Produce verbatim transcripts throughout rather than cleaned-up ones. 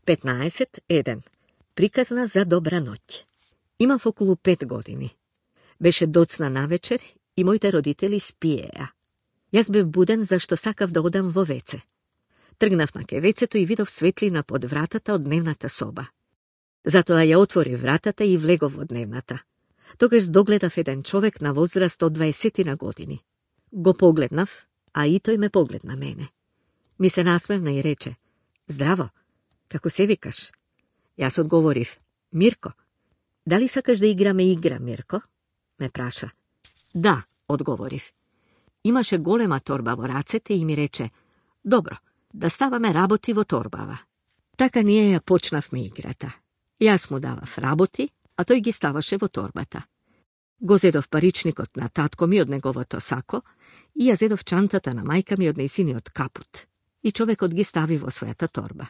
петнаесет еден. Приказна за добра ноќ. Имав околу пет години. Беше доцна навечер и моите родители спиеа. Јас бев буден зашто сакав да одам во веце. Тргнав на ке вецето и видов светлина под вратата од дневната соба. Затоа ја отвори вратата и влегов во дневната. Тогаш догледав еден човек на возраст од дваесет години. Го погледнав, а и тој ме погледна мене. Ми се насмевна и рече: "Здраво, како се викаш?" Јас одговорив: "Мирко." "Дали сакаш да играме игра, Мирко?" ме праша. "Да," одговорив. Имаше голема торба во рацете и ми рече: "Добро, да ставаме работи во торбава." Така ние ја почнавме играта. Јас му давав работи, а тој ги ставаше во торбата. Го зедов паричникот на татко ми од неговото сако и ја зедов чантата на мајка ми од нејзиниот капут. И човекот ги стави во својата торба.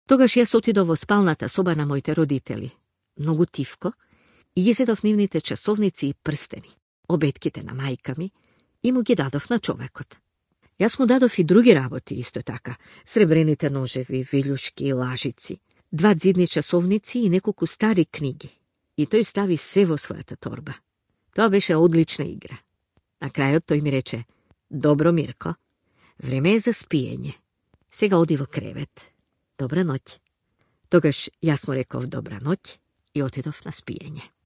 Тогаш јас отидов во спалната соба на моите родители, многу тивко, и ги зедов нивните часовници и прстени, обетките на мајка ми, и му ги дадов на човекот. Јас му дадов и други работи исто така, сребрените ножеви, вилјушки и лажици, два дзидни часовници и неколку стари книги. И тој стави се во својата торба. Тоа беше одлична игра. На крајот тој ми рече: "Добро, Мирко, време е за спиење. Сега оди во кревет. Добра ноќ." Тогаш јас му реков добра ноќ и отидов на спиење.